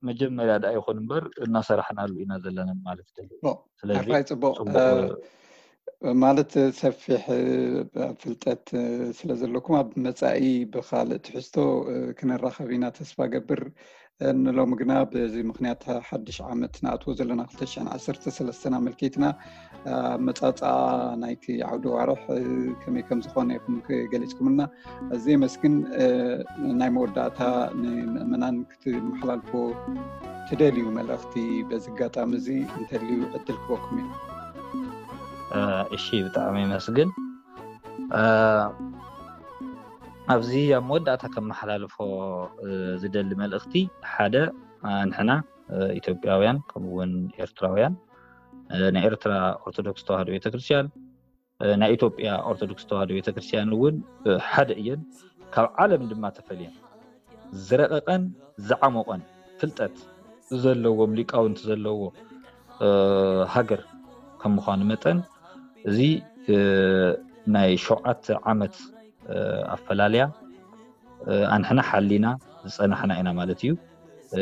መጀመርያ ደኣ ይኹን እምበር እናሰራሕናሉ ኢና ዘለና ማለት ደሊ። ስለዚ ኣራይ ፅቡቕ ማለት ሰፊሕ ፍልጠት ስለ ዘለኩም ኣብ መፃኢ ብካልእ ትሕዝቶ ክንራኸብ ኢና ተስፋ ገብር። ንሎሚ ግና በዚ ምኽንያት ሓድሽ ዓመት ንኣትዎ ዘለና ክልተ ሽሕን ዓሰርተ ሰለስተን ኣመልኪትና፣ ኣመጻጽኣ ናይቲ ዓውደ ዋርሕ ከመይ ከም ዝኾነ ኢኹም ገሊጽኩምልና። ኣዝየ የመስግን። ናይ መወዳእታ ንምእመናን ክትመሓላልፎ ትደልዩ መልእኽቲ በዚ ኣጋጣሚ እዚ እንተልዩ ዕድል ክበኩም እዩ። እሺ፣ ብጣዕሚ የመስግን። ኣብዚ ኣብ መወዳእታ ከመሓላልፎ ዝደሊ መልእኽቲ ሓደ፣ ንሕና ኢትዮጵያውያን ከምኡውን ኤርትራውያን፣ ናይ ኤርትራ ኦርቶዶክስ ተዋህዶ ቤተክርስትያን፣ ናይ ኢትዮጵያ ኦርቶዶክስ ተዋህዶ ቤተክርስትያን እውን ሓደ እየን፣ ካብ ዓለም ድማ ተፈልየን ዝረቐቐን ዝዓሞቐን ፍልጠት ዘለዎም ሊቃውንቲ ዘለዎ ሃገር ከም ምዃኑ መጠን፣ እዚ ናይ ሸውዓተ ዓመት ኣፈላልያ ኣንሕና ሓሊና ዝፀናሕና ኢና ማለት እዩ።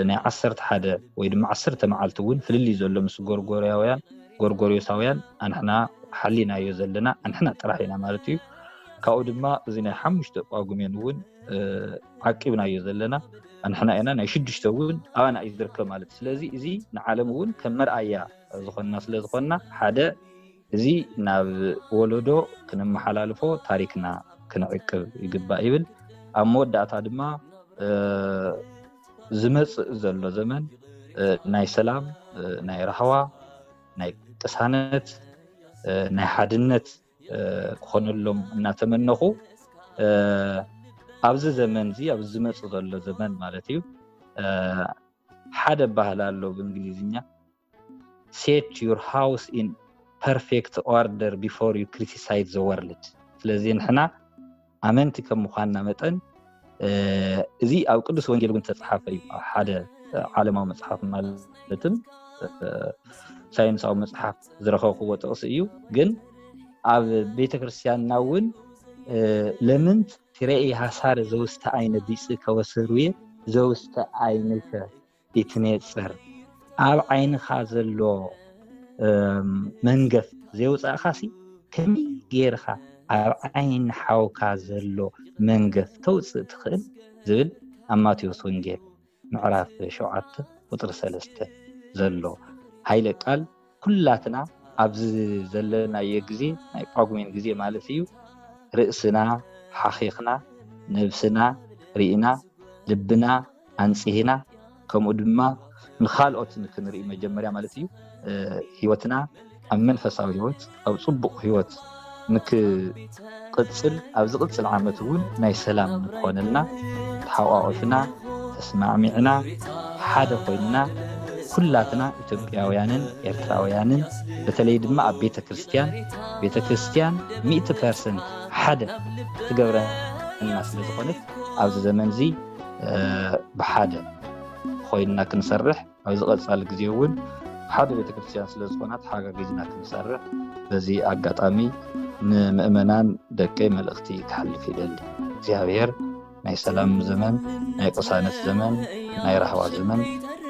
ናይ ዓሰርተ ሓደ ወይ ድማ ዓሰርተ መዓልቲ እውን ፍልልይ ዘሎ ምስ ጎርጎርያውያን፣ ጎርጎርዮሳውያን ኣንሕና ሓሊናዮ ዘለና ኣንሕና ጥራሕ ኢና ማለት እዩ። ካብኡ ድማ እዚ ናይ ሓሙሽተ ጳጉሜን እውን ዓቂብናዮ ዘለና ኣንሕና ኢና። ናይ ሽዱሽተ እውን ኣባና እዩ ዝርከብ ማለት እዩ። ስለዚ እዚ ንዓለም እውን ከም መርኣያ ዝኾንና ስለ ዝኾንና፣ ሓደ እዚ ናብ ወለዶ ክነመሓላልፎ ታሪክና ክንዕቅብ ይግባእ ይብል። ኣብ መወዳእታ ድማ ዝመፅእ ዘሎ ዘመን ናይ ሰላም፣ ናይ ራህዋ፣ ናይ ቅሳነት፣ ናይ ሓድነት ክኾነሎም እናተመነኹ፣ ኣብዚ ዘመን እዚ፣ ኣብዚ ዝመፅእ ዘሎ ዘመን ማለት እዩ፣ ሓደ ባህል ኣሎ ብእንግሊዝኛ፣ set your house in perfect order before you criticize the world። ስለዚ ንሕና ኣመንቲ ከም ምዃንና መጠን፣ እዚ ኣብ ቅዱስ ወንጌል እውን ተፃሓፈ እዩ። ኣብ ሓደ ዓለማዊ መፅሓፍ ማለትም ሳይንሳዊ መፅሓፍ ዝረኸብክዎ ጥቕሲ እዩ። ግን ኣብ ቤተክርስትያንና እውን ለምንት ትሬኢ ሐሳር ዘውስተ ዓይነ ቢጽ ከወስሩየ ዘውስተ ዓይንከ ይትኔጸር፣ ኣብ ዓይንኻ ዘሎ መንገፍ ዘየውፃእኻሲ ከመይ ገይርኻ ኣብ ዓይኒ ሓውካ ዘሎ መንገፍ ተውፅእ ትኽእል? ዝብል ኣብ ማቴዎስ ወንጌል ምዕራፍ ሸውዓተ ቁፅሪ ሰለስተ ዘሎ ሃይለ ቃል ኩላትና ኣብዚ ዘለናዮ ግዜ፣ ናይ ጳጉሜን ግዜ ማለት እዩ፣ ርእስና ሓኺኽና፣ ነብስና ርኢና፣ ልብና ኣንጽሂና፣ ከምኡ ድማ ንኻልኦት ንክንርኢ መጀመርያ ማለት እዩ፣ ህይወትና ኣብ መንፈሳዊ ህይወት፣ ኣብ ጽቡቕ ህይወት ንክቕጽል፣ ኣብ ዝቕጽል ዓመት እውን ናይ ሰላም ንክኾነልና ተሓቋቒፍና፣ ተስማዕሚዕና፣ ሓደ ኮይንና፣ ኩላትና ኢትዮጵያውያንን ኤርትራውያንን፣ በተለይ ድማ ኣብ ቤተ ክርስቲያን፣ ቤተ ክርስቲያን ሚእቲ ፐርሰንት ሓደ ትገብረና ስለ ዝኾነት፣ ኣብዚ ዘመን እዚ ብሓደ ኮይንና ክንሰርሕ፣ ኣብዚ ቀጻሊ ግዜ እውን ሓደ ቤተ ክርስቲያን ስለ ዝኾና ተሓጋጊዝና ክንሰርሕ በዚ ኣጋጣሚ ንምእመናን ደቀይ መልእኽቲ ክሓልፍ ይደሊ። እግዚኣብሔር ናይ ሰላም ዘመን፣ ናይ ቅሳነት ዘመን፣ ናይ ራህዋ ዘመን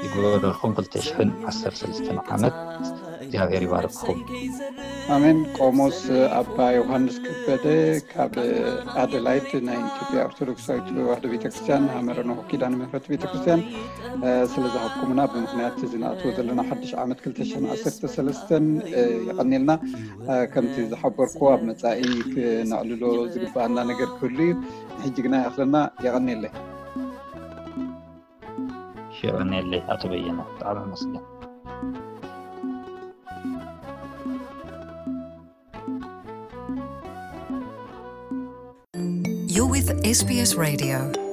ይግበረልኩም። ክልተ ሽሕን ዓሰርተ ሰለስተን ዓመት እግዚኣብሔር ይባርክኹም። ኣሜን። ቆሞስ ኣባ ዮሃንስ ከበደ ካብ ኣደላይድ ናይ ኢትዮጵያ ኦርቶዶክሳዊት ተዋህዶ ቤተክርስትያን ሃመረ ኖህ ኪዳነ ምሕረት ቤተክርስትያን ስለ ዝሃብኩምና ብምኽንያት እዚ ንኣትዎ ዘለና ሓድሽ ዓመት ክልተ ሽሕን ዓሰርተ ሰለስተን የቐንየልና። ከምቲ ዝሓበርኩ ኣብ መጻኢ ክነዕልሎ ዝግባኣና ነገር ክህሉ እዩ። ንሕጂ ግና ይኣኽለና። የቐንየለይ። የቐንየለይ ኣቶ በየነ፣ ብጣዕሚ ኣመስግን። You're with S B S Radio.